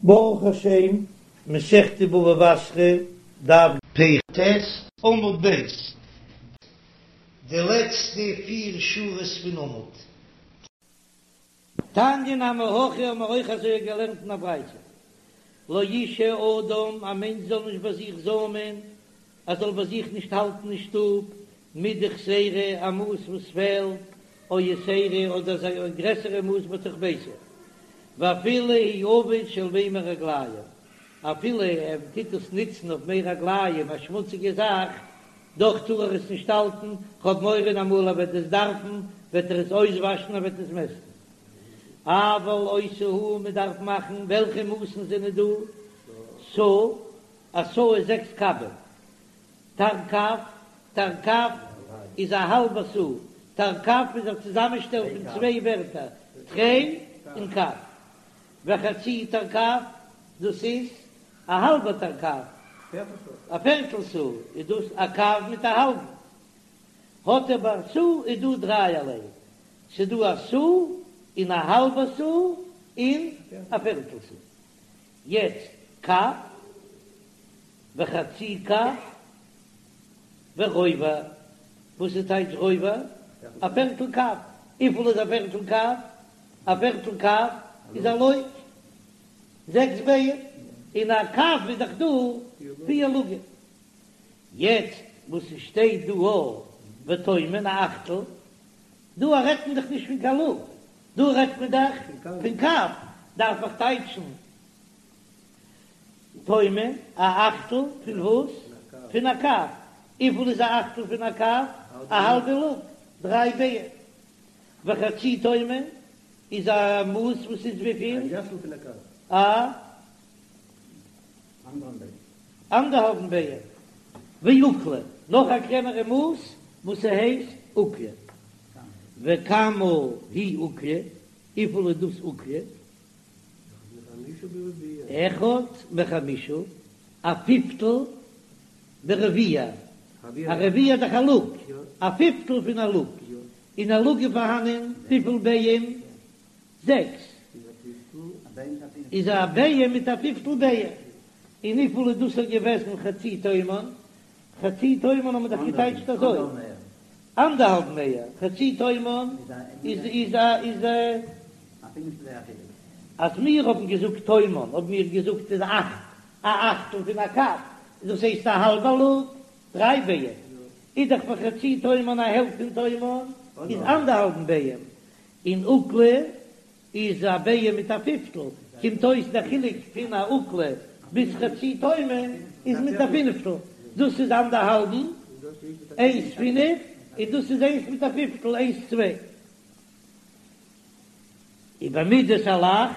ברוך השם, מסכת בבא בתרא, דף פ"ט, עמוד ב', די לעצטע פיר שורות פון עמוד. תניא נמי הכי האבן מיר אויך אזוי געלערנט אין א ברייתא, לא ישהה אדם, א מענטש זאל נישט ביי זיך זוימען, ער זאל ביי זיך נישט האלטן אין שטוב, מידה חסרה, א מאס וואס פעלט, או יתירה, אדער אזא גרעסערע מאס בתוך ביתו, ואפילו הוא עביד של מי רגליים, אפילו ער טוט עס נוצן אויף מי רגליים, א שמוציגע זאך, דאך טאר ער עס נישט האלטן, כ'האב מורא אמאל ער וועט עס דארפן, וועט ער עס אויסוואשן, ער וועט עס מעסטן. אבל עושה הוא, מען דארף מאכן, וועלכע מאסן זענען דא? סאה, א סאה איז זעקס קבים. תרקב, תרקב איז א האלבע סאה, תרקב איז א צוזאמענשטעל פון צוויי ווערטער, תרי און קב. וחצי תרקב, דאס איז א האלבע תרקב, א פערטל סאה איז דאס א קב מיט א האלבן. האט ער ביי סאה איז דא דרייערליי, ס'איז דא א סאה און א האלבע סאה און א פערטל סאה. יעצט קב וחצי קב ורובע, וואס איז טייטש רובע? א פערטל קב, וויפיל איז א פערטל קב? א פערטל קב איז א לוג, זעקס ביעים, אין א קב איז דאך דא פיר לוגים. יעצט וואס עס שטייט דא א ותומן א אכטל, דא רעדט מען דאך נישט פון קיין לוג, דא רעדט מען דאך פון קב, דארף איך טייטשן תומן א אכטל פון וואס? פון א קב. וויפיל איז א אכטל פון א קב? א האלבע לוג, דריי ביעים. וחצי תומן איז א מאס וואס איז וויפיל? א אנדערהאלבן ביעה. ועוקלא, נאך א קלענערע מאס וואס ס'הייסט עוקלא. וכמה היא עוקלא, וויפיל איז דאס עוקלא? אחד מחמישה, א פיפטל ברביע, א רביע איז דאך א לוג, א פיפטל פון א לוג, אין א לוג איז פארהאנען וויפיל ביעים? זעקס, איז א ביעה מיט א פיפטל ביעה, און וויפיל איז דאס געוועזן חצי תומן? חצי תומן האט מען דאך געטייטשט אזוי, אנדערהאלבן מאה, חצי תומן איז איז א איז א. אז מיר האבן געזאגט תומן האבן מיר געזאגט איז אכט, א אכטל פון א קב, דאס הייסט א האלבע לוג, דריי ביעים, איז דאך פאר חצי תומן א העלפט פון תומן איז אנדערהאלבן ביעים, און עוקלא איז א ביעה מיט א פיפטל, קומט אויס דער חילוק פון א עוקלא ביז חצי תומן איז מיט א פינפטל, דאס איז אנדערהאלבן, איינס פינף, און דאס איז איינס מיט א פיפטל, איינס צוויי. ובמידת הלח,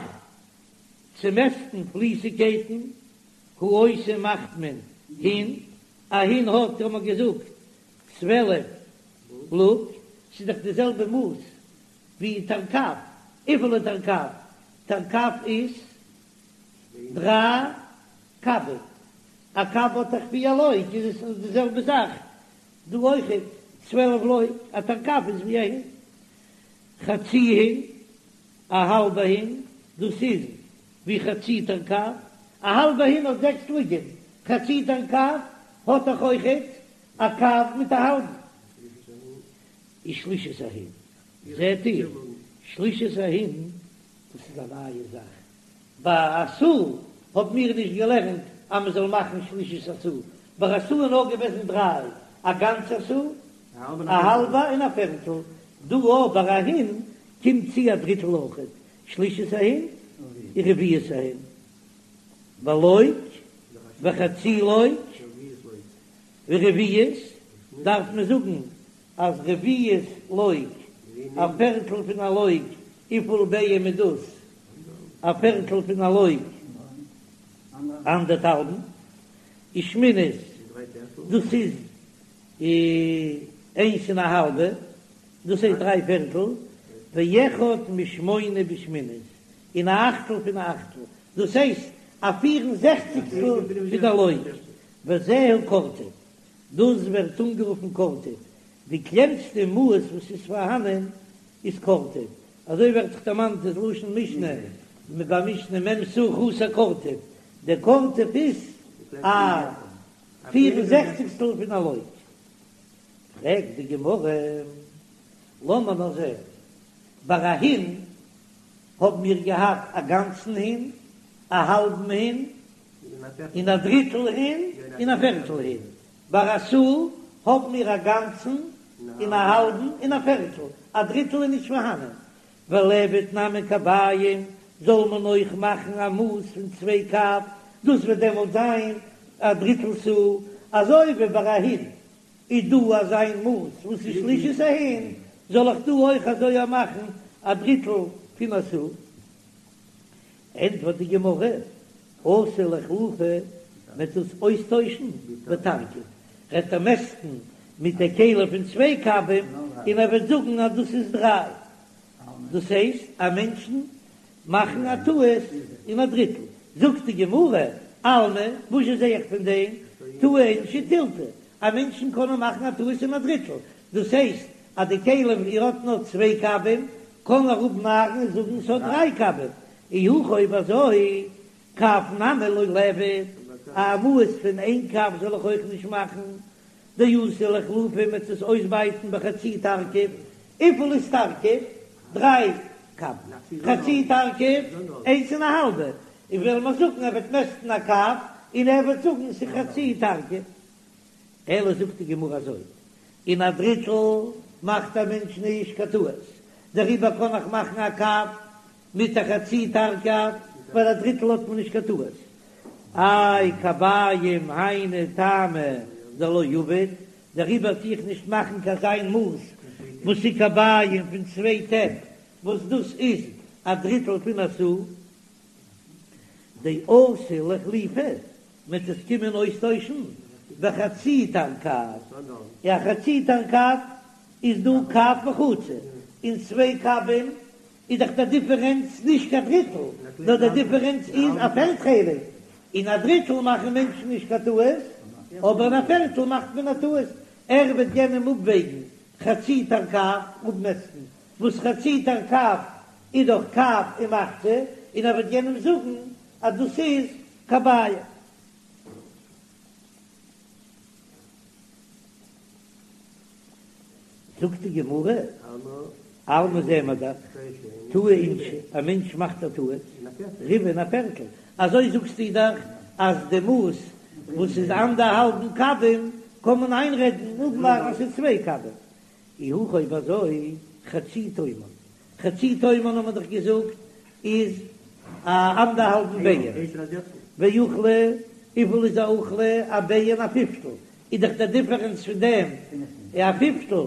צו מעסטן פליסיגקייטן, הוא עושה מאכט מען הין, א הין האט, האט מען געזאגט, 12 לוג, ס'איז דאך די זעלבע מאס ווי תרקב, וויפיל איז תרקב? תרקב איז דריי קבים, א קב האט דאך פיר לוג, איז עס די זעלבע זאך דא אויכעט, 12 לוג, א תרקב איז ווי א הין, חצי הין, א האלבע הין, דאס איז ווי חצי תרקב, א האלבע הין האט זעקס לוגים, חצי תרקב האט דאך אויכעט א קב מיט א האלבן. ושלישית ההין, זעט איר, שלישית ההין, דאס איז א נייע זאך, ביי א סאה האבן מיר נישט געלערנט אז מען זאל מאכן שלישית הסאה, ביי א סאה איז נאר געוועזן דריי, א גאנצע סאה, א האלבע און א פערטל, דא אבער א הין קומט צו א דריטל אויכעט, שלישית ההין ורביעית ההין, ולוג וחצי לוג ורביעית, דארף מען זאגן אז רביעית לוג, א פערטל פון א לוג, וויפיל ביעים איז דאס? א פערטל פון א לוג, אנדערטהאלבן, ושמינית, דאס איז איינס און א האלבע, דאס הייסט דריי פערטל, ואחד משמונה בשמינית, און א אכטל פון א אכטל, דאס הייסט א פיר און זעכציגסטל פון א לוג, וזהו קורטוב, דאס ווערט אנגערופן קורטוב, די קלענסטע מאס וואס איז פארהאנען איז קורטוב, אזוי ווערט דאך דערמאנט דאס לשון משנה. ביי משנה מ' סאה חסר קורטוב, דער קורטוב איז א פיר און זעכציגסטל פון א לוג. פרעגט די גמרא, לאמיר נאר זען, ביי א הין האבן מיר געהאט א גאנצן הין, א האלבן הין, און א דריטל הין, און א פערטל הין. ביי א סאה האבן מיר א גאנצן, און א האלבן, און א פערטל, א דריטל איז נישט פארהאנען. וליעבד נמי קביים, זאל מען אויך מאכן א מאס פון צוויי קב, דאס וועט דעמאלט זיין א דריטל סאה, אזוי ווי ביי א הין איז דא אזא מאס וואס איז שלישית ההין, זאל איך דא אויך אזוי מאכן א דריטל פון א סאה? ענטפערט די גמרא, אתי לאיחלופי, מ'וועט עס אויסטוישן בתרגיב, וועט ער מעסטן מיט די כלי פון צוויי קבים און ער וועט זאגן אז דאס איז דריי, דאס הייסט אז מענטשן מאכן א טעות אין א דריטל, זאגט די גמרא, אלמא, וואזשע זע איך פון דעם, טעי אינשי תילתא, אז מענטשן קענען מאכן א טעות אין א דריטל, דאס הייסט אז די כלי ער האט נאר צוויי קבים, קען ער אפנארן און זאגן ס'האט דריי קבים, אי הכי אויב אזוי, קב נמי לא ליעבד, א מאס פון איין קב זאל איך אויך נישט מאכן, דאתי לאיחלופי מ'וועט עס אויסבייטן בחצי תרקיף, וויפיל איז תרקיף? דריי קב, חצי תרקיף איינס און א האלבע, און וועלן מיר זאגן ער וועט מעסטן א קב און ער וועט זאגן ס'איז חצי תרקיף, אלא זאגט די גמרא אזוי, אין א דריטל מאכט א מענטש נישט קיין טעות, דעריבער קען איך מאכן א קב מיט א חצי תרקיף, ווייל א דריטל האט מען נישט קיין טעות. איי קביים היינו טעמא דלא עביד, דעריבער טו איך נישט מאכן קיין אזא מאס וואס איז קביים פון צוויי טעפ, וואס דאס איז א דריטל פון א סאה, דאתי לאיחלופי מ'וועט עס קומען אויסטוישן בחצי תרקב, א חצי תרקב איז דא קב וחצי, און צוויי קבים איז דאך דער דיפערענץ נישט קיין דריטל, נאר דער דיפערענץ איז א פערט חלק, אין א דריטל מאכן מענטשן נישט קיין טעות, אבער אין א פערטל מאכט מען א טעות, ער וועט יענעם אפוועגן חצי תרקב, אפמעסטן, וואס חצי תרקב איז דאך קב ומחצה, און ער וועט יענעם זאגן אז דאס איז קביים. זאגט די גמרא, אלמא זעען מיר דאך, טעי אינשי, א מענטש מאכט א טעות, ריבעא אין א פערטל, אזוי זאגסטו דאך אז די מאס וואס איז אנדערהאלבן קבים קען מען איינרעדן אפנארן אז ס'איז צוויי קבים, אי הכי אויב אזוי חצי תומן, חצי תומן האט מען דאך געזאגט איז א אנדערהאלבן ביעה, ואוכלא, וויפיל איז א אוכלא? א ביעה און א פיפטל, איז דאך דער דיפערענץ פון דעם א פיפטל,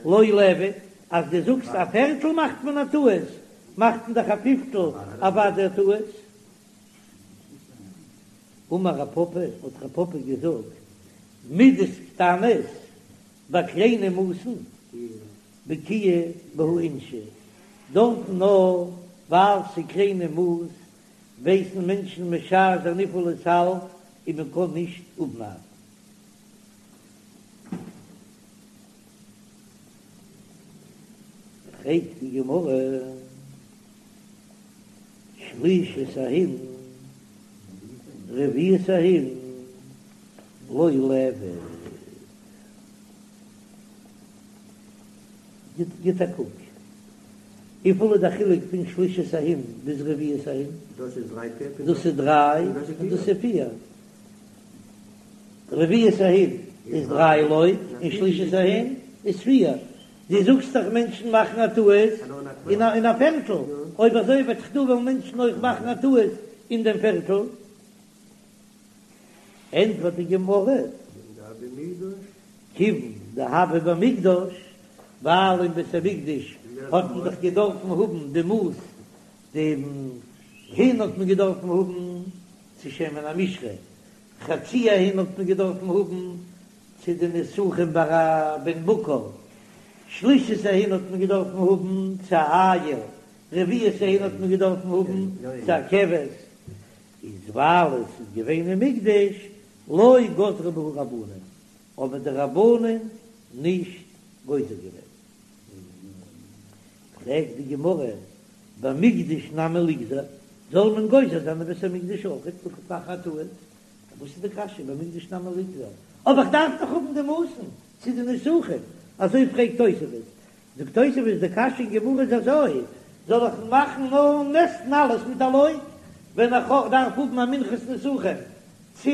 לא ליעבד, אז דו זאגסט א פערטל מאכט מען א טעות, מאכט מען דאך א פיפטל אוודאי א טעות. אמר רב פפא, האט רב פפא געזאגט, מידות קטנות ביי קליינע מאסן בקיאי בהו אינשי, דארטן נאר ווייל ס'איז קליינע מאס ווייסן מענטשן משער זיין וויפיל עס האלט און מען קען נישט אפנארן. פרעגט די גמרא, שלישית ההין, רביעית ההין, לא ליעבד. גיט א קוק, וויפיל איז די חילוק פון שלישית ההין ביז רביעית ההין? דאס איז דריי טעפ דאס איז דריי און דאס איז פיר. רביעית ההין איז דריי לוג און שלישית ההין איז פיר. דו זאגסט דאך מענטשן מאכן א טעות אין א פערטל, אויב אזוי וועט דאך דא וועלן מענטשן אויך מאכן א טעות אין דעם פערטל. ענטפערט די גמרא, כיוון דהוה במקדש, ווייל אין בית המקדש האט מען דאך געדארפן האבן די מאס, דעם הין האט מען געדארפן האבן צו שמן המשחה, חצי ההין האט מען געדארפן האבן צו די נסכים ביי א בן בקר, שלישית ההין האט מען געדארפן האבן צו א איל, רביעית ההין האט מען געדארפן האבן צו א כבש, איז ווייל עס איז געווען אין מקדש, לא גזרו בהו רבנן, האבן די רבנן נישט גוזר געווען. פרעגט די גמרא, במקדש נמי ליגזור? זאל מען גוזר זיין אין בית המקדש אויך מאכן א טעות, וואס איז די קשיא במקדש נמי ליגזור, אבער איך דארף דאך האבן די מאסן צו די נסכים, אזוי פרעגט תוספות, זאגט תוספות די קשיא אין גמרא איז אזוי, זאל איך מאכן נאר מעסטן אלעס מיט א לוג, ווען איך דארף האבן א מנחת נסכים צו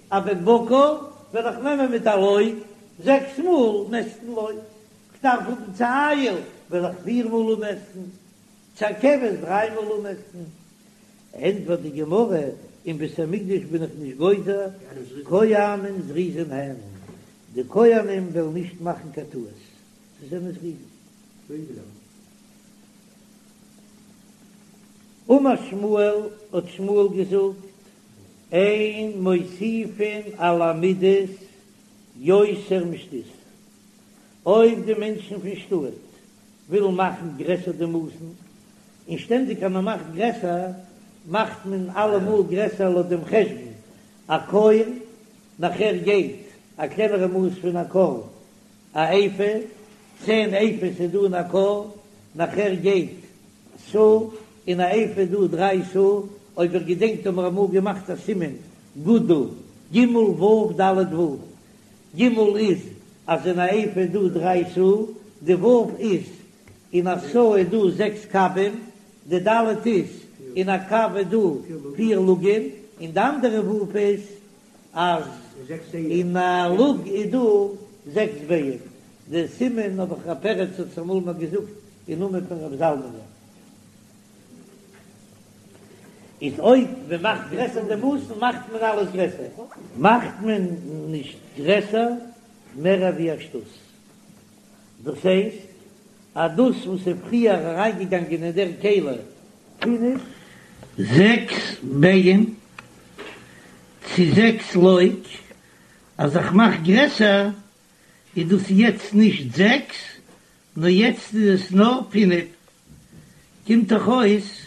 א בן בקר, וועל איך נעמען מיט א לוג זעקס מאל מעסטן לוג, כ'דארף האבן צו איל, וועל איך פיר מאל אפמעסטן, צו א כבש דריי מאל אפמעסטן. ענטפערט די גמרא, אין בית המקדש בין איך נישט גוזר, כהנים זריזין הן, די כהנים וועלן נישט מאכן קיין טעות, זיי זענען זריזים. אמר שמואל, האט שמואל געזאגט, אין מוסיפין על המידות יותר משתות. אויב די מענטשן פון שטאט ווילן מאכן גרעסער די מאסן, און שטענדיג אז מען מאכט גרעסער, מאכט מען אלעמאל גרעסער לויט דעם חשבון, א כור, נאכער גייט א קלענערע מאס פון א כור, א איפה, צען איפות איז דא אין א כור, נאכער גייט סאה, אין א איפה איז דא דריי סאה, אויב איר געדענקט האבן מיר אמאל געמאכט א סימן גודל, ג ו ד ו, ג איז אז אין א איפה איז דא דריי סאה, די ו' איז אין א סאה איז דא זעקס קבים, די ד' איז אין א קב איז דא פיר לוגין, און די אנדערע ו' איז אז אין א לוג איז דא זעקס ביעים. די סימן האב איך ר' פרץ האט עס אמאל מיר געזאגט אין נאמען פון ר' זלמנ'ען. איז אויב מען מאכט גרעסער די מאסן מאכט מען אלעס גרעסער. מאכט מען נישט גרעסער מער ווי א שתות. דאס הייסט אז דאס וואס איז פריער אריינגעגאנגען אין דער כלי פינף זעקס ביעים צו זעקס לוג, אז איך מאך גרעסער איז דאס יעצט נישט זעקס נאר יעצט איז עס נאר פינף, קומט דאך אויס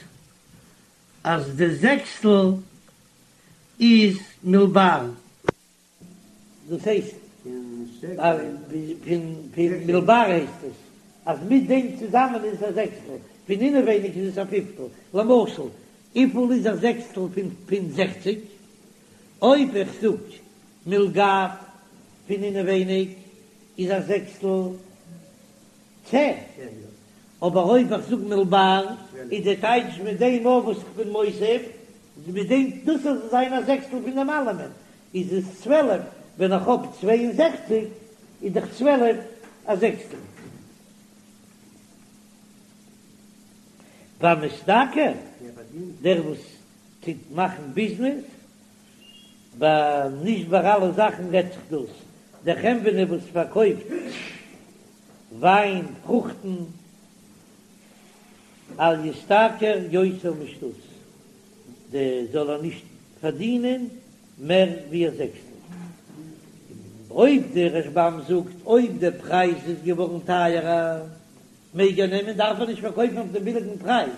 אז די זעקסטל איז מלבר. דאס הייסט אז פון מלבר הייסט עס אז מיט דעם צוזאמען איז עס א זעקסטל, פון אינעווייניג איז עס א פיפטל, למשל וויפיל איז א זעקסטל פון זעכציג? אויב איך זאג מלגב פון אינעווייניג איז א זעקסטל צען, אבער אויב איך זאג מלבר איז די טייטש מיט דעם אויך וואס איך בין מוסיף, מיט דעם דאס זאל זיין א זעקסטל פון דעם אלעמען, איז עס 12, ווען איך האב 62 איז דאך 12 א זעקסטל. והמשתכר, דער וואס טוט מאכן ביזנעס, ביי נישט ביי אלע זאכן רעדט זיך דאס, דער חנווני וואס פארקויפט וויין, פרוכטן, אל ישתכר יותר משתות, די זאל ער נישט פארדינען מער ווי א זעקסטל. אויב די רשב"ם זאגט אויב די פרייז איז געווארן טייערער מעג ער נעמען דארף ער נישט פארקויפן אויף דעם ביליגן פרייז,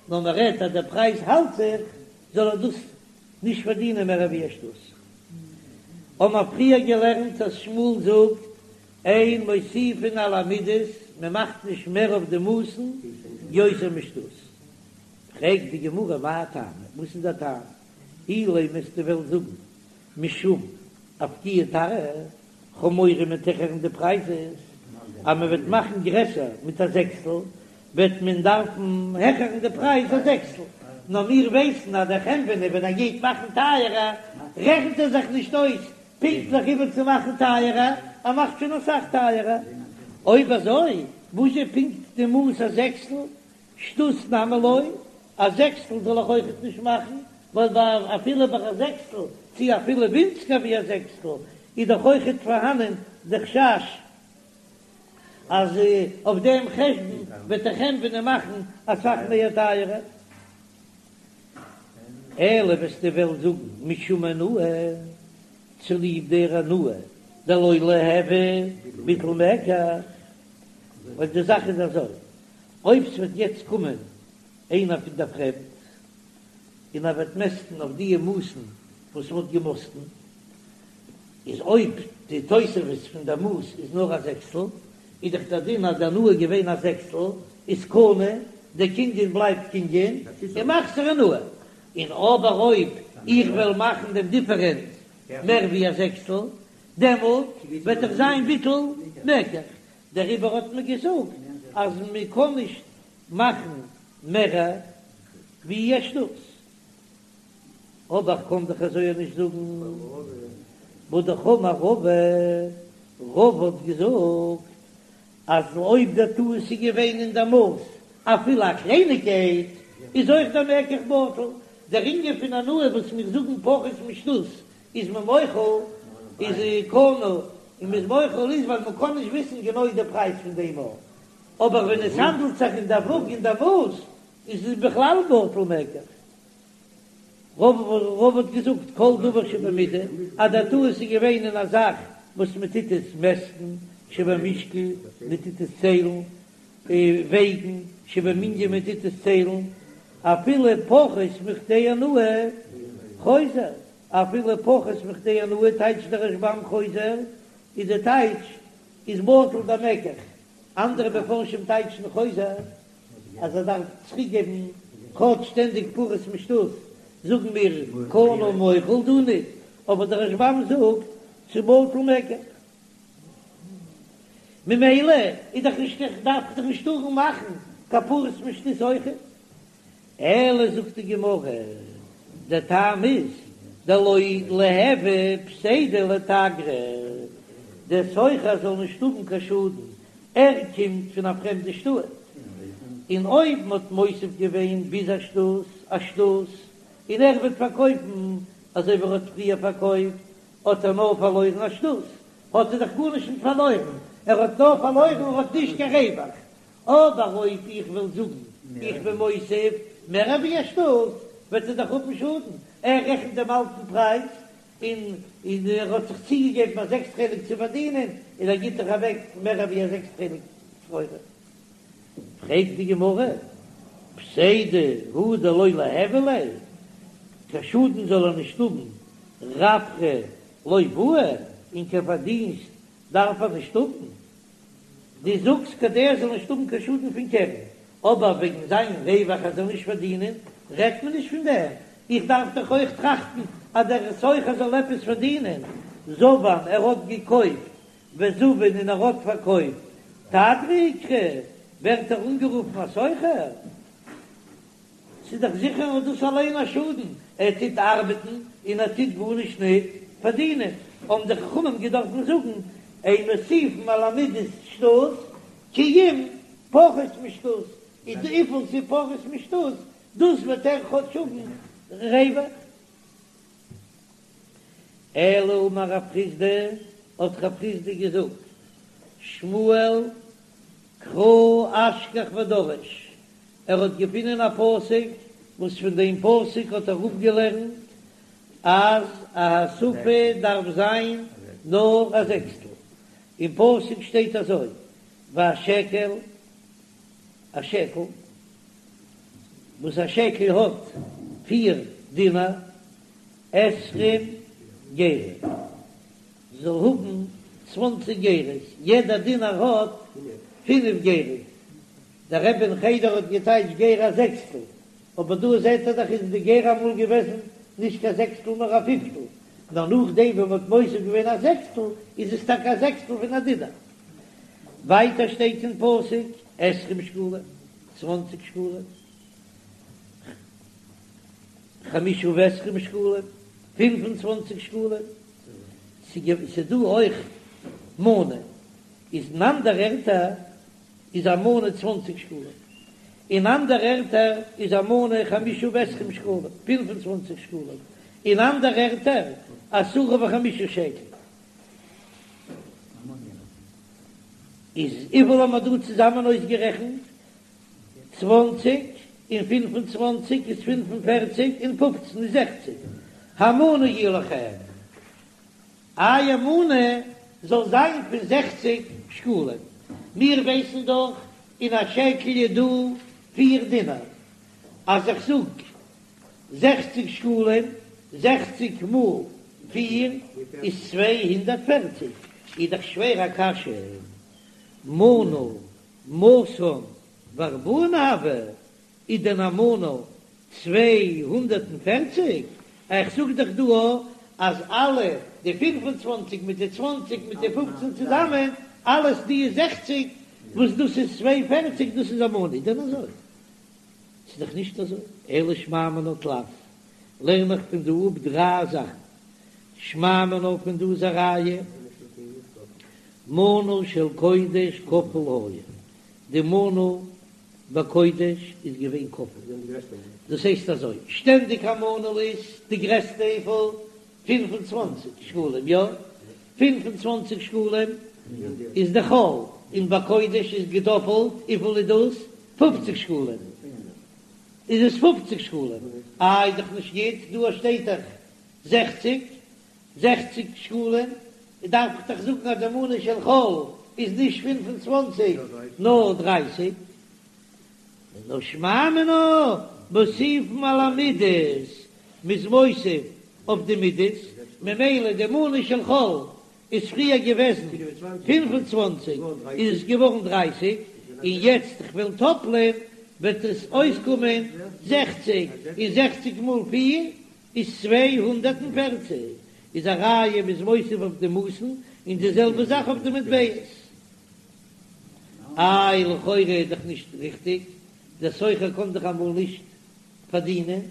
נאר מען רעדט אז דער פרייז האלט זיך זאל ער דאס נישט פארדינען מער ווי א שתות. האבן מיר פריער געלערנט אז שמואל זאגט אין מוסיפין על המידות, מען מאכט נישט מער אויף די מאסן יותר משתות. פרעגט די גמרא מאי טעמא, וואס איז דער טעם? אילימא וועסטו וועלן זאגן משום אפקויי תרעא, כ'האב מורא מ'וועט העכערן די פרייזעס, אז מען וועט מאכן גרעסער מיט א זעקסטל, וועט מען דארפן העכערן די פרייז א זעקסטל, נאר מיר ווייסן אז דער חנווני ווען ער גייט מאכן טייערער רעכנט ער זיך נישט אויס פונקטליך איבער צו מאכן טייערער, ער מאכט שוין אסאך טייערער. אויב אזוי וואס איז פונקט די מאס א זעקסטל? שתות נמי לא, א זעקסטל זאל איך אויכעט נישט מאכן, ווייל ביי אפילו ביי א זעקסטל, צו אפילו ווינציגער ווי א זעקסטל, איז דאך אויכעט פארהאנען די חשש אז אויף דעם חשבון וועט דער חנווני מאכן אסאך מער טייערער. אלא וועסטו וועלן זאגן משום אונאה, צוליב דער אונאה דלא ליהוי ביטול מקח, ווייל די זאך איז אזוי, אויב ס'וועט יעצט קומען איינער פון דער פרעמד און ער וועט מעסטן אויף דיע מאסן וואס מ'האט געמאסטן, איז אויב די תוספת פון דער מאס איז נאר א זעקסטל, איז דאך דער דין אז די אונאה איז געווען א זעקסטל, איז קנה, דער קנין בלייבט קנין, און מחזיר אונאה. און אבער אויב איך וועל מאכן דעם דיפערענץ מער ווי א זעקסטל, דעמאלט וועט דאך זיין ביטול מקח, דעריבער האט מען געזאגט אז מען קען נישט מאכן מער ווי א שתות. אבער איך קען דאך אזוי נישט זאגן, והאמר רבא, רבא האט געזאגט אז אויב דער טעות איז געווען אין דער מאס אפילו א קלייניגקייט, איז אויך דער מקח בטל. דער ענין פון הנאה וואס מיר זאגן פחות משתות איז מען מוחל, איז קנה און מ'איז מוחל איז ווייל מ'קען נישט וויסן גענוי די פרייז פון דעם אבער ווען עס האנדלט זיך אין דער וואג און דער מאס איז עס בכלל בטל מקח. רבא האט געזאגט כל דבר שבמידה, אז דער טעות איז געווען אין א זאך וואס מען טוט עס מעסטן, שבמשקל, מען טוט עס ציילן, וועגן, שבמנין מען טוט עס ציילן, אפילו פחות מכדי הנאה, חוזר, אפילו פחות מכדי הנאה טייטשט דער רשב"ם חוזר, איז די טייטש איז בטל דער מקח, אנדערע מפרשים טייטשן חוזר אז ער דארף צוריק געבן כאטש שטענדיג פחות משתות, זאגן מיר קנה ומוחל דא ניט, אבער דער רשב"ם זאגט ס'איז בטל מקח. ממילא איז דאך נישט איך דארף דאך נישט טארן מאכן קיין פחות משתות אויכעט. אלא זאגט די גמרא, דער טעם איז דלא ליהוי פסידא לתגרא, דער סוחר זאל נישט האבן קיין שאדן, ער קומט פון א פרעמדע שטאט, און אויב מען האט מוסיף געווען ביז א שתות א שתות, און ער וועט פארקויפן אזוי ווי ער האט פריער פארקויפט, האט ער נאר פארלוירן א שתות, האט ער דאך גארנישט נישט פארלוירן, ער האט נאר פארלוירן ער האט נישט קיין רווח, אבער אויב איך וועל זאגן איך בין מוסיף מער ווי א שתות, וועט ער דאך האבן שאדן, ער רעכנט דעם אלטן פרייז, און און ער האט זיך צוגעגעבן א זעקסט חלק צו פארדינען, און ער גיט דאך אוועק מער ווי א זעקסט חלק סחורה. פרעגט די גמרא, פסידא הוא דלא ליהוי ליה, קיין שאדן זאל ער נישט האבן, רווחא לא בעי, און קיין פארדינסט דארף ער נישט האבן, דו זאגסט כדי ער זאל נישט האבן קיין שאדן פון קרן, אבער וועגן זיין רווח ער זאל נישט פארדינען רעדט מען נישט פון דעם, איך דארף דאך אויך טראכטן אז דער סוחר זאל עפעס פארדינען, זבן ער האט געקויפט וזבין און ער האט פארקויפט, תגרא איקרי, ווערט ער אנגערופן א סוחר? ס'איז דאך זיכער אז דאס אליין א שאדן, ער טוט ארבעטן און ער טוט גארנישט ניט פארדינען, האבן די חכמים געדארפן זאגן, אין מוסיפין על המידות שתות, כי אם פחות משתות, איז וויפיל ס'איז פחות משתות, דאס וועט ער כאטש האבן רווח. אלא אמר רב חסדא, האט רב חסדא געזאגט, שמואל קרא אשכח ודרש, ער האט געפונען א פסוק וואס פון דעם פסוק האט ער אפגעלערנט אז א הוספה דארף זיין נאר א זעקסטל, אין פסוק שטייט אזוי והשקל, א שקל, וואס א שקל האט פיר דינר, עשרים גרה, זאל האבן צוואנציג גרות, יעדע דינר האט פינף גרות, דער רבי אין חדר האט געטייטשט גרה א זעקסטל, אבער דא זעט ער דאך איז די גרה אמאל געוועזן נישט קיין זעקסטל נאר א פיפטל, נאר נאכדעם ווען מ'האט מוסיף געווען א זעקסטל איז עס טאקע א זעקסטל פון א דינר. ווייטער שטייט אין פסוק עשרים שקלים, צוואנציג שקלים, חמשה ועשרים שקלים, פינף און צוואנציג שקלים, ס'דא אויך מנה, איז אין אנדערע ערטער איז א מנה צוואנציג שקלים, אין אנדערע ערטער איז א מנה חמשה ועשרים שקלים, פינף און צוואנציג שקלים, אין אנדערע ערטער עשרה וחמישה שקל. איז וויפיל האבן מיר דא צוזאמען אויסגערעכנט? צוואנציג און פינף און צוואנציג איז פינף און פערציג און פופצן איז זעכציג. המנה יהיה לכם. אייער מנה זאל זיין פון זעכציג שקלים. מיר ווייסן דאך אין א שקל איז דא פיר דינר. אז איך זאג זעכציג שקלים, זעכציג מאל פיר איז 240, איז דאך שווער א קשיא, מנה מאתין וארבעין הוי, איז דען א מנה? 240? איך זאג דאך דא אז אלע די 25 מיט די 20 מיט די 15 צוזאמען, אלעס די זעכציק, וואס דאס איז 42, דאס איז א מנה, איז דען אזוי? ס'איז דאך נישט אזוי. אלא שמע מינה תלת, לערן איך פון דא אפ דריי זאכן. שמע מינה פון דא איז א ראיה, מנה של קודש כפול היה, די מנה בקודש איז געווען כפול, דאס הייסט אזוי, שטענדיג א מנה איז די גרעסטע וויפיל? 25 שקלים, יא? 25 שקלים איז די חול, און בקודש איז געדאפלט, וויפיל איז דאס? פופציג שקלים, איז עס פופציג שקלים, איי איז דאך נישט גוט, דא שטייט דאך זעכציג, זעכציג שקלים, דארף איך דאך זאגן אז די מנה של חול איז נישט 25 נאר דרייסיג, נאר שמע מינה מוסיפין על המידות, מ'איז מוסיף אויף די מידות, ממילא די מנה של חול איז פריער געוועזן 25 איז עס געווארן דרייסיג, און יעצט איך וועל טאפלען וועט עס אויסקומען זעכציג, און זעכציג מאל פיר איז 240, איז א ראיה מ'איז מוסיף אויף די מאסן, און די זעלבע זאך אויף די מטבעות. איי לכאורה איז דאך נישט ריכטיג, דער סוחר קען דאך אמאל נישט פארדינען,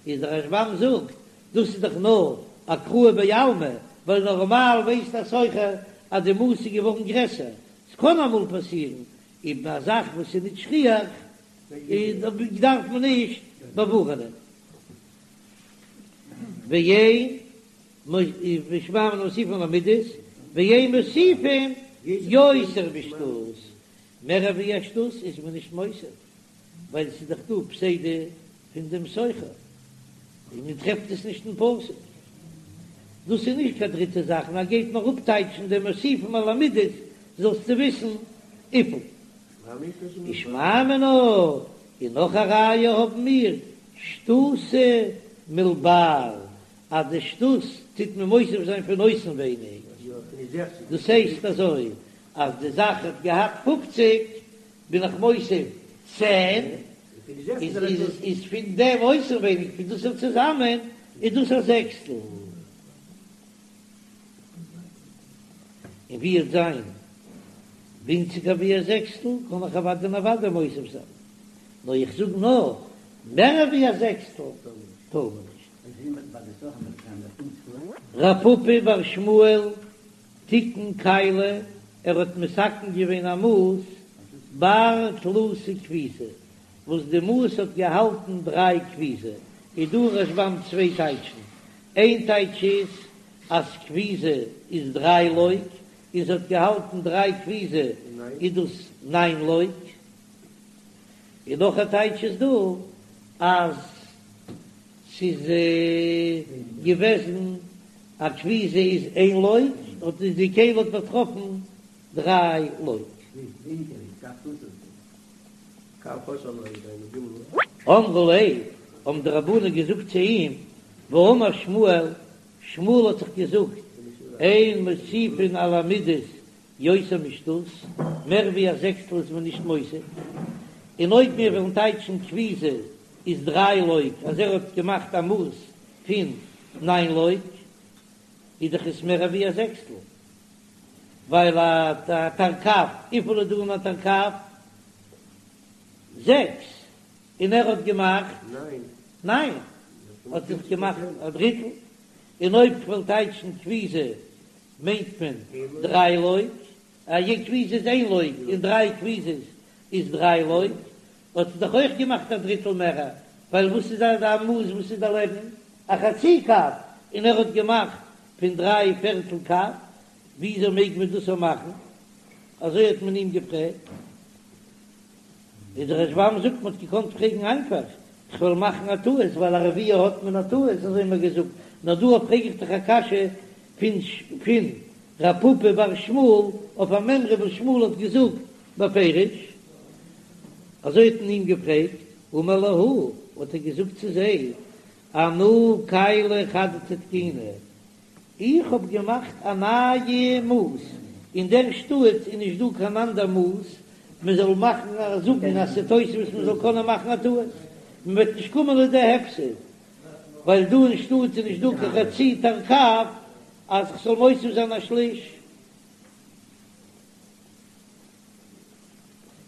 איז דער רשב"ם זאגט דאס איז דאך נאר אקראי בעלמא, ווייל נארמאל ווייסט א סוחר אז די מאס איז געווארן גרעסער, ס'קען אמאל פאסירן איבער א זאך וואס איז נישט שכיח, דארף מען נישט באווארענען. ואין ושמע מינה מוסיפין על המידות, ואין מוסיפין יותר משתות, מער ווי א שתות איז מען נישט מוסיף, ווייל ס'איז דאך דא פסידא פון דעם סוחר, און מען טרעפט עס נישט אין פסוק. דאס איז נישט קיין דריטע זאך, נאר גייט נאר אפטייטשן דעם מוסיפין על המידות, זאלסטו וויסן וויפיל. ושמע מינה, און נאך א ראיה האבן מיר, שתותא מלבר, אז די שתות טוט מען מוסיף זיין פון אויסנווייניג, דאס הייסט אזוי אז די זאך האט געהאט פופציג, בין איך מוסיף צען, איז פון דעם אויסנווייניג פון דאס צוזאמען איז דאס א זעקסטל. און ווי עט זיין ווינציגער ווי א זעקסטל, קען איך אוודאי און אוודאי מוסיף זיין, נאר איך זאג נאר מער ווי א זעקסטל טאר מען נישט. רב פפא בר שמואל תיקן כלי, ער האט מתקן געווען א מאס בר תלתא כפיזי, וואס די מאס האט געהאלטן דריי כפיזי, איז דא אין רשב"ם צוויי טייטשן, איין טייטש איז אז כפיזא איז דריי לוג, און ס'האט געהאלטן דריי כפיזי איז דאס ניין לוג, און נאך א טייטש איז דא אז ס'איז געוועזן א כפיזא איז איין לוג, האט די כלי האט באטראפן דריי לוג. אמרו ליה, האבן די רבנן געזאגט צו אים, והאמר שמואל, שמואל האט דאך געזאגט, אין מוסיפין על המידות יותר משתות, מער ווי א זעקסטל איז מען נישט מוסיף, און אויב מיר וועלן טייטשן כפיזא איז דריי לוג, אז ער האט געמאכט א מאס פון ניין לוג, איז דאך עס מער ווי א זעקסטל, ווייל א תרקב, וויפיל איז דא אין א תרקב? זעקס, און ער האט געמאכט ניין, האט זיך געמאכט א דריטל, און אויב כ'וועל טייטשן כפיזא מיינט מען דריי לוג, א כפיזא איז איין לוג און דריי כפיזות איז דריי לוג, האט ער דאך אויך געמאכט א דריטל מער, ווייל וואס איז א מאס וואס איז דערלעבן א חצי קב, און ער האט געמאכט פון דריי פערטל קב, וויאזוי מעג מען דאס מאכן? אזוי האט מען אים געפרעגט. איז דער רשב"ם זאגט מען האט געקאנט פרעגן איינפאך, איך וועל מאכן א טעות ווייל א רביע האט מען א טעות, אזוי האט מען געזאגט, נאר דא פרעג איך דיך א קשיא פון פון רב פפא בר שמואל אויף א מימרא וואס שמואל האט געזאגט בפירוש, אזוי האט מען אים געפרעגט, אמר להו, האט ער געזאגט צו זיי, אנא כלי חדתא תקיני, איך האב געמאכט א נייע מאס, אין דער שטאט איז נישט דא קיין אנדער מאס מען זאל מאכן א זאגן אז ס'איז תוספות מען זאל קענען מאכן א טעות. מען וועט נישט קומען לידי הפסד, ווייל דא אין שטאט איז נישט דא קיין חצי תרקב אז כ'זאל מוסיף זיין א שליש.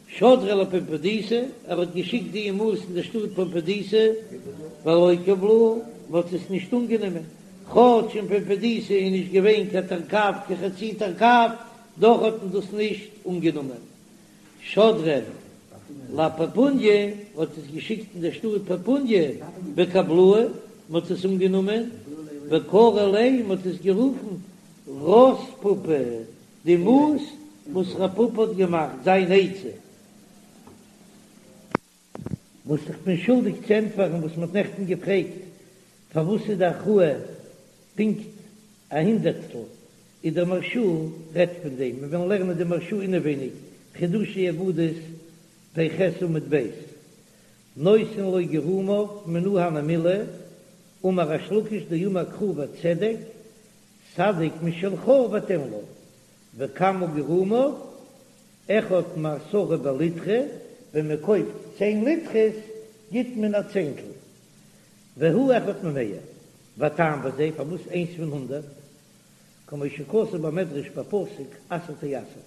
שדריה לפומבדיתא, ער האט געשיקט די מאס אין די שטאט פומבדיתא, ולא קבלוה, מען האט עס נישט אנגענומען, כאטש אין פומבדיתא איז נישט געווען קיין תרקב קיין חצי תרקב, דאך האט מען דאס נישט אנגענומען. שדריה לפפוניא, מען האט עס געשיקט אין די שטאט פפוניא, וקבלוה, מען האט עס אנגענומען, וקרו ליה, מען האט עס גערופן רת פפא. די מאס וואס רב פפא האט געמאכט זיין עצה. וואס איך בין שולדיג צו ענטפערן וואס מ'האט נעכטן געפרעגט פארוואס איז די הכרעה פונקט א הונדערטסטל, איז דער מהרש"א רעדט פון דעם, מיר וועלן לערנען די מהרש"א אינעווייניג, חידושי אגדות פ"ח עמוד ב', נותן לו גרומיו מנא הני מילי, אמר ריש לקיש דאמר קרא וצדק, סדק משלך ותן לו, וכמה גרומיו, אחד מעשרה בליטרא, ווען מען קויפט צען ליטרס גיט מען א צענטל, והוא אחד ממאה, והטעם בזה, פארוואס איינס פון הונדרעט, כמו שכתוב במדרש בפסוק עשר תעשר,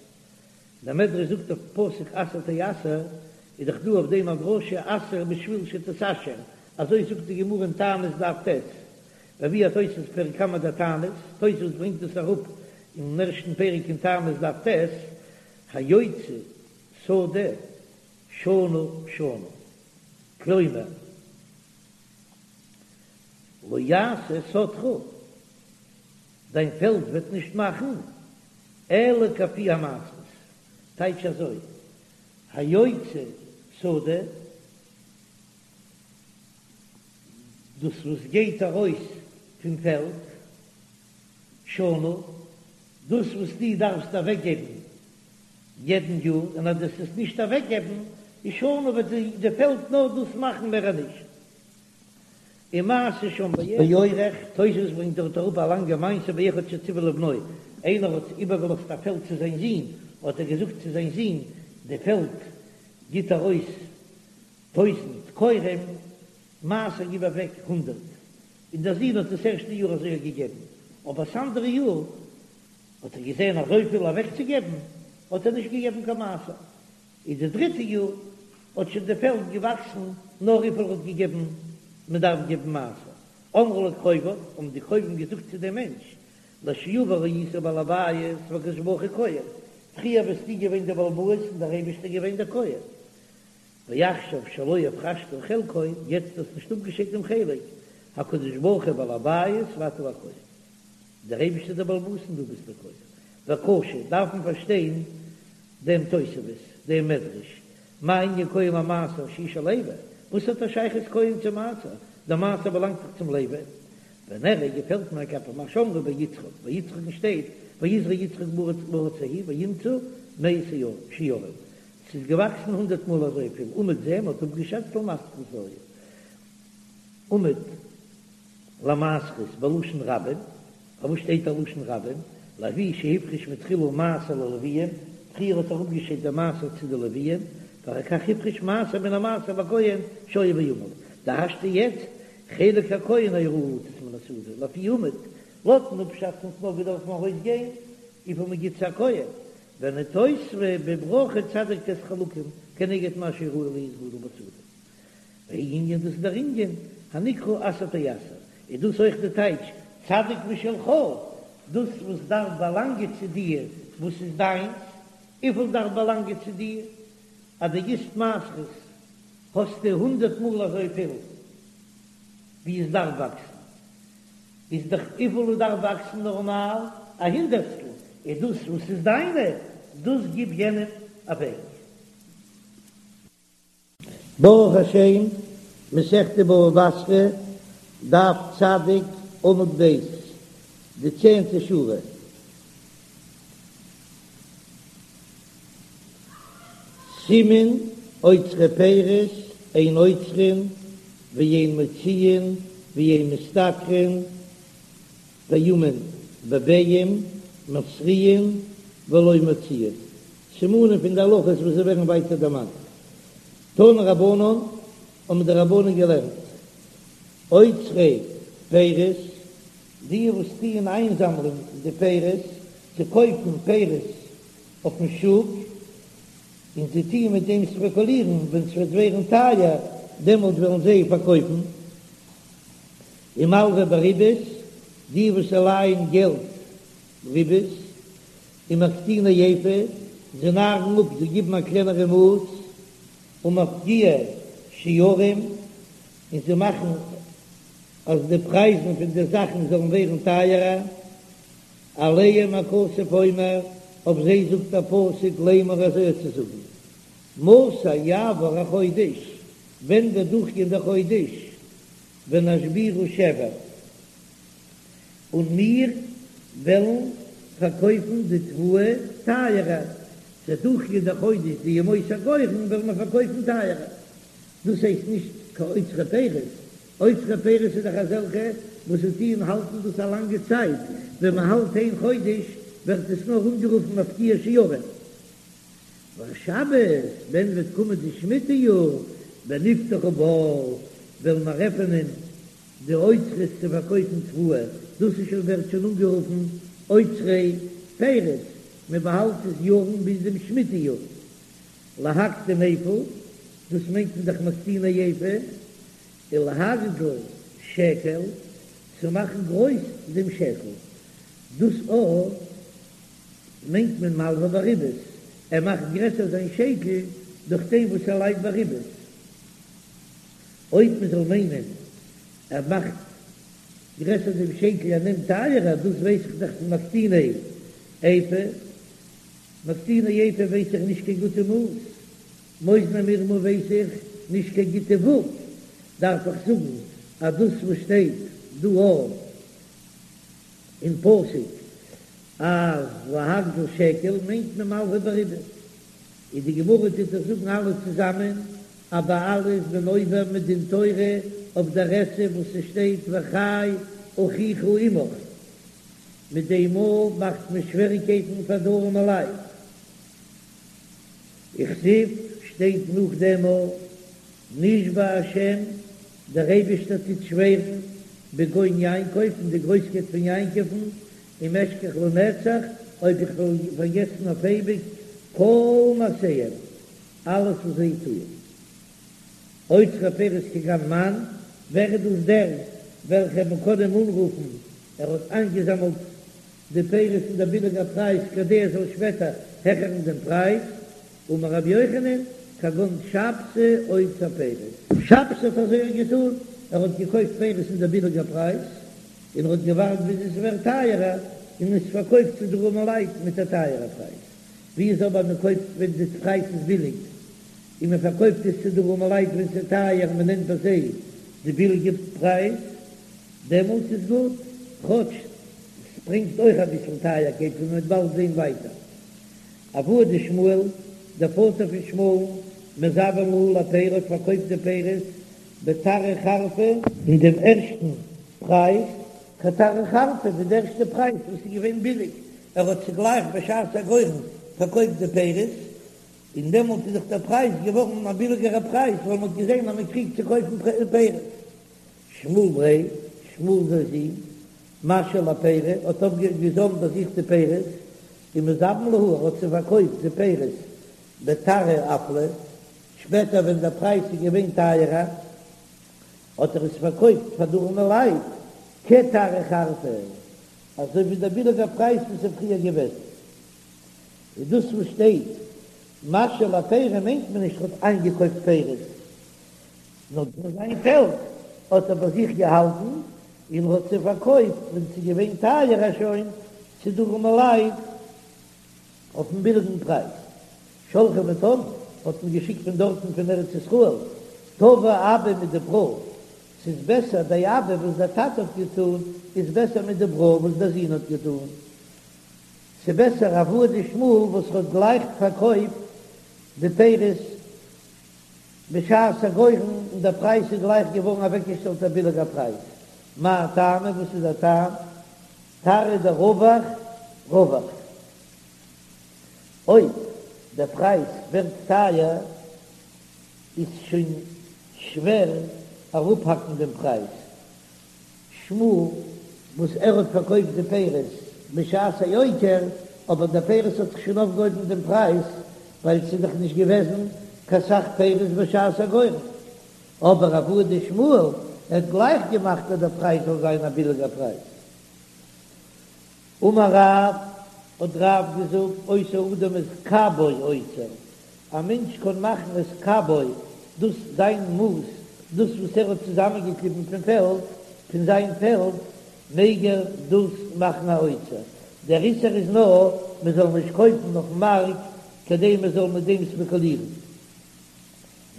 דער מדרש זאגט אויפן פסוק עשר תעשר, איז דאך דא אויף דעם א דרשה עשר בשביל שתתעשר, אזוי זאגט די גמרא אין תענית דף ט', והביאו התוספות פרק קמא דתענית, תוספות ברענגט דאס אראפ אין ערשטן פרק אין תענית דף ט', היוצא שדה שנה שנה, כלומר לא יעשה שדך, דיין פעלד וועט נישט מאכן, אלא כפי המעשרות, טייטש אזוי, היוצא שדה, דאס וואס גייט ארויס פון פעלד, שנה, דאס וואס דו דארפסט אוועקגעבן יעדן יאר, און אז דו וועסט עס נישט אוועקגעבן, איז שנה וועט די פעלד נאר דאס מאכן מער נישט. ומעשה שם באורך, תוספות ברענגט דארט אראפ א לאנגע מעשה באחד שציוה לבנו, איינער האט איבערגעלאזט א פעלד צו זיין זון, האט ער געזאגט צו זיין זון, די פעלד גיט ארויס טויזנט כורים, מעשר גיב אוועק הונדרעט, און דער זון האט דאס ערשטע יאר אזוי געגעבן, אבער ס'אנדערע יאר האט ער געזען אזויפיל אוועקצוגעבן, האט ער נישט געגעבן קיין מעשר, איז די דריטע יאר האט שוין די פעלד געוואקסן נאר וויפיל ער האט געגעבן, מען דארף געבן מעשר, אמרו לו קרוביו, האבן די קרובים געזאגט צו דעם מענטש, לשעבר היית בעל הבית והקדוש ברוך הוא כהן, פריער ביסטו געווען דער בעל הבית און דער אייבערשטער געווען דער כהן, ועכשיו שלא הפרשת חלקו, יעצט האסט נישט אפגעשיידט דעם חלק, הקדוש ברוך הוא בעל הבית ואתה הכהן, דער אייבערשטער איז דער בעל הבית און דו ביסט דער כהן, וקשה, דארף מען פארשטיין דעם תוספות, דעם מדרש, מה ענין כהן למעשר שהוא של לוי, וואס האט א שייכות כהן צו מעשר, דער מעשר באלאנגט דאך צום לוי, ונראה געפעלט מיר כלפי מה שאמרו ביצחק, ביי יצחק'ן שטייט ויזרע יצחק בארץ ההיא וימצא מאה שערים, ס'איז געוואקסן הונדרעט מאל אזויפיל, אומד זה, מ'האט אפגעשאצט למעשרות היה. אומד למעשרות בלשון רבים, פארוואס שטייט א לשון רבים? לפי שהפריש מתחילה מעשר ללוויים, פריער האט ער אפגעשיידט די מעשר צו די לוויים, ואחר כך הפריש מעשר מן המעשר לכהן שהיה בעמל, דהשתא יעצט חלק הכהן היה ראוי לתת מן השדה, לפי אומד, לויטן אפשאצן האט נאר געדארפן ארויסגיין וויפיל מ'גיט צו א כהן, ונתוספה בברכה צדיק ט' חלקים כנגד מה שראוי להיות גדל בשדה. והוא ענין דאס איז דער ענין הנקרא עשר תעשר, איז דאס אויך די טייטש צדיק משלך, דאס וואס דארף באלאנגען צו דיר וואס איז דיינס, וויפיל דארף באלאנגען צו דיר, אז דו גיסט מעשרות האסטו הונדרעט מאל אזויפיל ווי עס דארף וואקסן. איז דאך וויפיל עס דארף וואקסן נארמאל א הונדערטסטל, איז דאס וואס איז דיינע, דאס גיב יענעם אוועק. ברוך השם, מסכת בבא בתרא, דף צדיק, עמוד ב', די צענטע שורה. סימן אוצרי פירות אין עוצרין ואין מוציאין ואין משתכרין פעמים בביעים מתריעין ולא מוציאין, סימנים פון די הלכות וואס זיי ווערן ווייטער דערמאנט. תנו רבנן. האבן די רבנן געלערנט, אוצרי פירות, די וואס טוען איינזאמלען די פירות, צו קויפן פירות אויפן שוק, און זיי טוען מיט דעם ספעקולירן, ווען ס'וועט ווערן טייער, דעמאלט וועלן זיי פארקויפן. ומלוה בריבית, די וואס לייען געלט ריבית, ומקטיני איפה, זיי נארן אפ, זיי גיבן א קלענערע מאס, ומפקיעי שערים, און זיי מאכן אז די פרייזן פון די זאכן זאלן ווערן טייערער, עליהם הכתוב אומר, אויף זיי זאגט דער פסוק לאמר אזוי צו זאגן, מתי יעבור החודש, ווען וועט דורכגיין דער חודש, ונשבירה שבר, און מיר וועלן פארקויפן די תבואה טייערער, ס'וועט דורכגיין דער חודש די ימות הגורן וועלן מיר פארקויפן טייערער, דאס הייסט נישט קיין אוצרי פירות, אוצרי פירות איז דאך אזעלכע וואס זיי טוען האלטן דאס א לאנגע צייט, ווען מען האלט איין חודש ווערט עס נאר אנגערופן מפקיע שערים. והשבת, ווען וועט קומען די שמיטה יאר, ונפתחה בר, וועלן מיר עפענען די אוצרות צו פארקויפן תבואה, דאס איז שוין ווערט שוין אנגערופן אוצרי פירות, מען באהאלט עס יארן ביז דעם שמיטה יאר. להקטין איפה, דאס מיינט מען דאך מקטיני איפה, ולהגדיל שקל, צו מאכן גרויס דעם שקל, דאס אויך מיינט מען מלווה בריבית, ער מאכט גרעסער זיין שקל דורך דעם וואס ער לייט בריבית. אויב מען זאל מיינען ער מאכט גרעסער דעם שקל ער נעמט טייערער, דאס ווייס איך דאך פון מקטיני איפה, מקטיני איפה ווייס איך נישט קיין גוטע מאס, מאזני מרמה ווייס איך נישט קיין גוטע וואג, דארף איך זאגן אז דאס וואס שטייט דא אין פסוק אז להגדיל שקל מיינט מען מלווה בריבית, און די גמרא טוט דאך זאגן אלע צוזאמען אז ביי אלע איז מען עובר מדין תורה אויף דער עשה וואס ס'שטייט וחי אחיך עמך, מיט דעם מאל מאכט מען שוועריקייטן פאר די ארעמע לייט. וכתיב שטייט נאך דעם מאל נשבע השם, דער אייבערשטער טוט שווערן בגאון יעקב, אין די גרויסקייט פון יעקב'ן, אם אשכח לנצח, אויב איך וועל פארגעסן אויף אייביג, כל מעשיהם, אלעס וואס זיי טוען. אוצרי פירות כגון מאן, ווער איז דאס דער וועלכער מען קען אים אנרופן, ער האט איינגעזאמלט די פירות אין דער ביליגער פרייז כדי ער זאל שפעטער העכערן דעם פרייז, אמר רבי יוחנן, כגון שבתי אוצר פירות. שבתי האט אזוי געטון, ער האט געקויפט פירות אין דער ביליגער פרייז, און ער האט געווארט ביז עס ווערט טייערער, און עס פארקויפט צו די ארעמע לייט מיט א טייערער פרייז. ווי איז אבער מען קויפט ווען די פרייז איז ביליג, און מען פארקויפט עס צו די ארעמע לייט ווען ס'איז טייער און מען נעמט ביי זיי די ביליגע פרייז, דעמאלטס איז גוט, כאטש ס'ברענגט אויך אביסל טייערקייט ווי מ'וועט באלד זען ווייטער. אבוה דשמואל, דער פאטער פון שמואל'ן, מזבין להו לפירי האט פארקויפט די פירות בתרא חרפא, אין דעם ערשטן פרייז, כתרא חרפא, ווי די ערשטע פרייז וואס איז געווען ביליג, ער האט צוגלייך בשעת הגורן פארקויפט די פירות, און דעמאלט איז דאך דער פרייז געווארן א ביליגערע פרייז, ווייל מען האט געזען אז מען קריגט צו קויפן פירות. שמואל בריה, שמואל זיין זון, משהי לפירי, האט אויפגעזאמט ביי זיך די פירות, ומזבין להו, ער האט זיי פארקויפט די פירות בתרא אפלא, שפעטער ווען דער פרייז איז געווען טייערער, האט ער עס פארקויפט פאר די ארעמע לייט כתרא חרפא, אזוי ווי דער ביליגער פרייז וואס איז פריער געוועזן. איז דאס וואס שטייט משהי לפירי מיינט מען נישט ער האט איינגעקויפט פירות, נאר פון זיין פעלד האט ער ביי זיך געהאלטן און האט זיי פארקויפט ווען ס'איז געווען טייערער שוין צו די ארעמע לייט אויפן ביליגן פרייז. שלחו מיטן, האט מען געשיקט פון דארטן פון ארץ ישראל, טבא אבא מדברא, ס'איז בעסער די אבא וואס דער טאטע האט געטון איז בעסער מדברא וואס דער זון האט געטון, ס'איז בעסער אבוה דשמואל וואס האט גלייך פארקויפט די פירות בשעת הגורן און דער פרייז איז גלייך געווארן אוועקגעשטעלט א ביליגער פרייז, מאי טעמא וואס איז דער טעם? תרעא דרווח רווח. אויב דער פרייז ווערט טייער איז שוין. שווער אראפהאקן דעם פרייז. שמואל וואס ער האט פארקויפט די פירות בשעת היוקר, אבער די פירות האט זיך שוין אויפגעהויבן דעם פרייז, ווייל ס'איז דאך נישט געוועזן קיין סך פירות בשעת הגורן. אבער אבוה דשמואל ער האט גלייך געמאכט אז דער פרייז זאל זיין א ביליגער פרייז. אמר רב, האט רב געזאגט, עושה אדם את קבו אוצר, א מענטש קען מאכן את קבו, דאס זיין מאס, דאס וואס ער האט צוזאמענגעקליבן פון פעלד, פון זיין פעלד, מעג ער דאס מאכן א אוצר. דער איסור איז נאר מען זאל נישט קויפן אויפן מארק כדי מען זאל מיט דעם ספעקולירן.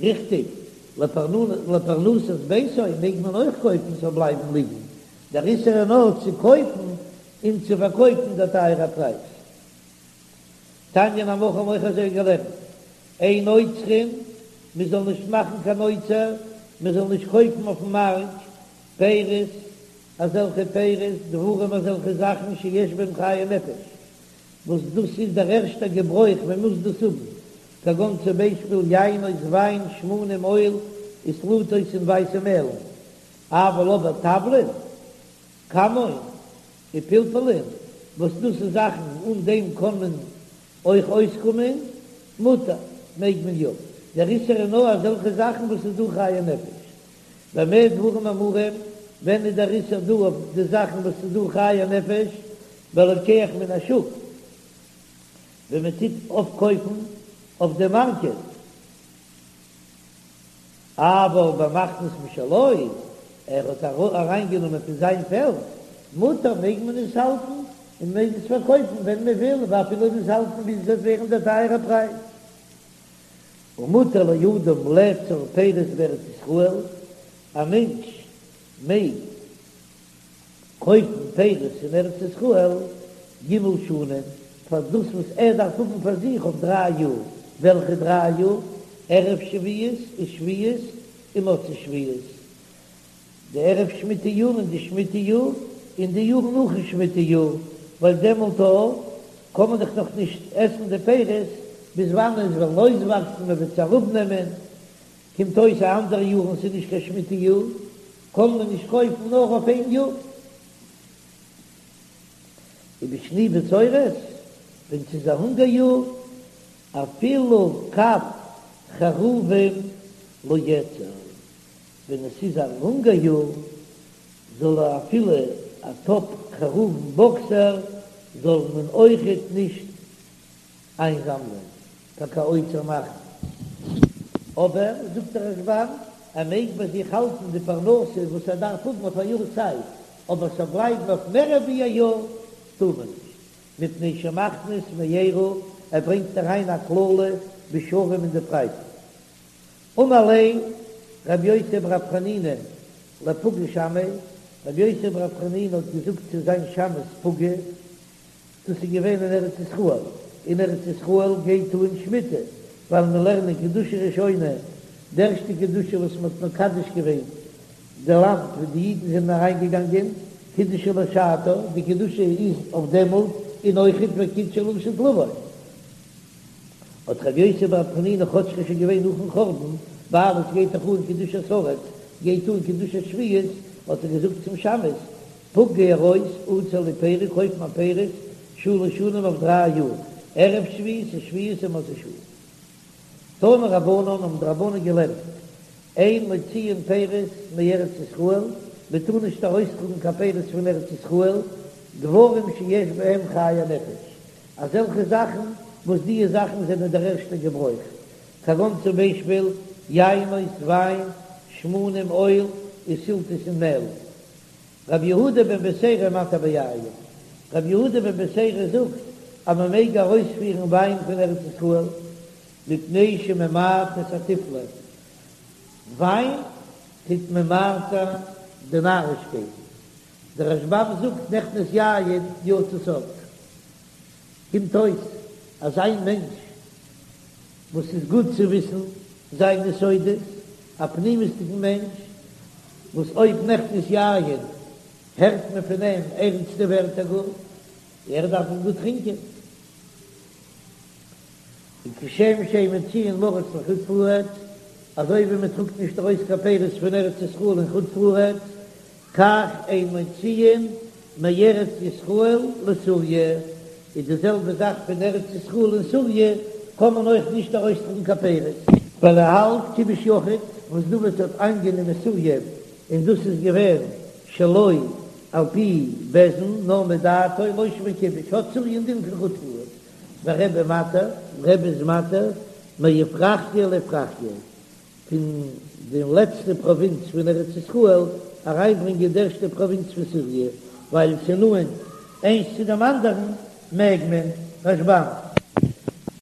ריכטיג, לפרנסת ביתו מעג מען אויך קויפן ס'זאל בלייבן ליגן, דער איסור איז נאר צו קויפן און צו פארקויפן דער טייערע פרייז. תניא נמי הכי האבן אויך אזוי געלערנט, אין אוצרין, מען זאל נישט מאכן קיין אוצר, מען זאל נישט קויפן אויפן מארק פירות, אזעלכע פירות, דברים אזעלכע זאכן שיש בהם חיי נפש, וואס דאס איז דער ערשטער געברויך, מען מוז דאס האבן, כגון צום ביישפיל יינות וויין, שמנים אויל, וסלתות און ווייסע מעלן, אבל אבער תבלין, כמון, ופלפלין, וואס דאס איז זאכן אן דעם קען מען אויך אויסקומען, מותר, מעג מען יא, דער איסור איז נאר אזעלכע זאכן וואס איז דא חיי נפש. במה דברים אמורים, ווען איז דער איסור דא אויף די זאכן וואס איז דא חיי נפש, בלוקח מן השוק, ווען מען טוט אויפקויפן אויף די מארקעט, אבל במכניס משלו, ער האט אריינגענומען פון זיין פעלד, מותר מעג מען עס האלטן און מעג עס פארקויפן ווען מען וויל, ואפילו עס האלטן ביז עס וועט ווערן דער טייערער פרייז. ומותר לאדם לאצור פירות בארץ ישראל, א מענטש מעג קויפן פירות אין ארץ ישראל ג' שנים, פאר דאס וואס ער דארף האבן פאר זיך אויף דריי יאר, וועלכע דריי יאר? ערב שביעית ושביעית ומוצאי שביעית, די ערב שמיטה יאר און די שמיטה יאר און די יאר נאכן שמיטה יאר, ווייל דעמאלט קען מען דאך נאך נישט עסן די פירות ביז וואנען עס וועלן אויסוואקסן, מען וועט עס אראפנעמען, קומט אויס א אנדערע יאר און ס'איז נישט קיין שמיטה יאר, קען מען נישט קויפן נאר אויף איין יאר. ובשני בצורת, ווען ס'איז א הונגער יאר, אפילו קב חרובים לא יאצור, ווען עס איז א הונגער יאר, זאל ער אפילו א טאפ חרובים באקסער זאל מען אויכעט נישט איינזאמלען פאר קיין אוצר מאכן. אבער, זאגט דער רשב"ם, ער מעג ביי זיך האלטן די פרנסה וואס ער דארף האבן אויף א יאר צייט, אבער ס'זאל בלייבן אויף מער ווי א יאר טאר מען נישט, מפני שמכניס מארה, ער ברענגט אריין א קללה בשוורים אין די פרייזן. אמר ליה רבי יוסי ברב חנינא לפוגי שמעיה, רבי יוסי ברב חנינא האט געזאגט צו זיין שמש פוגי, דאס איז געווען אין ארץ ישראל, אין ארץ ישראל גייט אן שמיטה, ווייל מיר לערנען קדושה ראשונה, די ערשטע קדושה וואס מען האט מקדש געווען די לאנד וואו די אידן זענען אריין געגאנגען, קידושה לשעתה, די קדושה איז אויף דעמאלט, און אויכעט וקידשה לעתיד לבוא. האט רבי יוסי ברב חנינא כאטש ס'איז שוין געווען נאכן חורבן, ווייל עס גייט דאך אן קדושת הארץ, גייט אן קדושת שביעית, האט ער געזאגט צום שמש, פוק גיי ארויס, עצור לי פירי, קויף מיר פירות, שלש שנים אויף דריי יאר, ערב שביעית ושביעית ומוצאי שביעית. תנו רבנן האבן די רבנן געלערנט, אין מוציאין פירות מארץ ישראל, מען טאר נישט ארויסטראגן קיין פירות פון ארץ ישראל, דברים שיש בהם חיי נפש, אזעלכע זאכן וואס דיע זאכן זענען דער ערשטער געברויך, כגון צום ביישפיל, יינות, וויין, שמנים, אויל, וסלתות און מעל. רבי יהודה בן בתירא מתיר ביין, רבי יהודה בן בתירא זאגט אז מען מעג ארויספירן וויין פון ארץ ישראל, מפני שממעט את התיפלה, וויין טוט ממעט זיין די נארישקייטן, דער רשב"ם זאגט נכנס יין יצא סוד, קומט אויס אז איין מענטש וואס איז גוט צו וויסן זיינע סודות, א פנימיות'דיגן מענטש, וואס אויב נכנס יין הערט מען פון אים ערנסטע ווערטער גאר, ער דארף גוט טרינקען. און כשם שאין מוציאין לארץ לחוץ לארץ. אזוי ווי מען טראגט נישט ארויס קיין פירות פון ארץ ישראל אין חוץ לארץ, כך אין מוציאין מארץ ישראל לסוריה, איז די זעלבע זאך פון ארץ ישראל אין סוריה קען מען אויך נישט ארויסטראגן קיין פירות. ווייל ער האלט כיבוש יחיד וואס דוד האט איינגענומען סוריה און דאס איז געווען שלא על פי בית דין נאר מדעתו לא שמיה כיבוש האט סוריה א דין פון חוץ לארץ ורבי מתיר, רבי איז מתיר מאפרחיה לאפרחיה פון די לעצטע פראווינץ פון ארץ ישראל אריינברענגען די ערשטע פראווינץ פון סוריה ווייל ס'איז נאנט איינס צו דעם אנדערן מעג מען. רשב"ם.